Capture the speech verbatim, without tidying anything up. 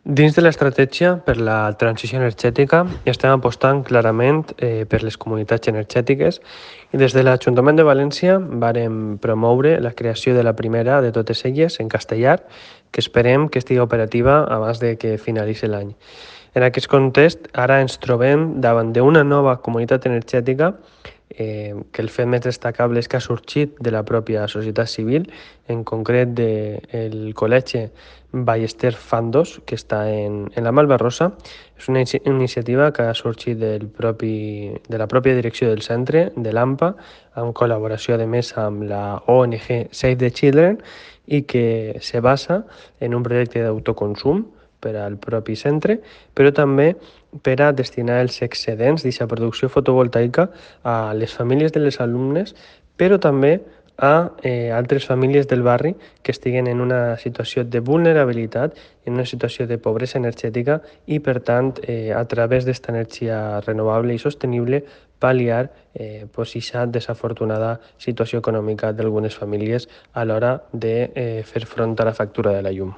Dins de l'estratègia per la transició energètica estem apostant clarament eh, per les comunitats energètiques i des de l'Ajuntament de València vàrem promoure la creació de la primera de totes elles en castellà, que esperem que estigui operativa abans de que finalitzi l'any. En aquest context, ara ens trobem davant d'una nova comunitat energètica eh, que el fet més destacable és que ha sorgit de la pròpia societat civil, en concret del Col·legi Ballester Fandos, que està en, en la Malvarrosa. És una iniciativa que ha sorgit del propi, de la pròpia direcció del centre, de l'AMPA, en col·laboració, a més, amb la O N G Save the Children, i que se basa en un projecte d'autoconsum per al propi centre, però també per a destinar els excedents d'aquesta producció fotovoltaica a les famílies de les alumnes, però també a eh, altres famílies del barri que estiguen en una situació de vulnerabilitat, en una situació de pobresa energètica i, per tant, eh, a través d'esta energia renovable i sostenible, pal·liar eh, pues, aquesta desafortunada situació econòmica d'algunes famílies a l'hora de eh, fer front a la factura de la llum.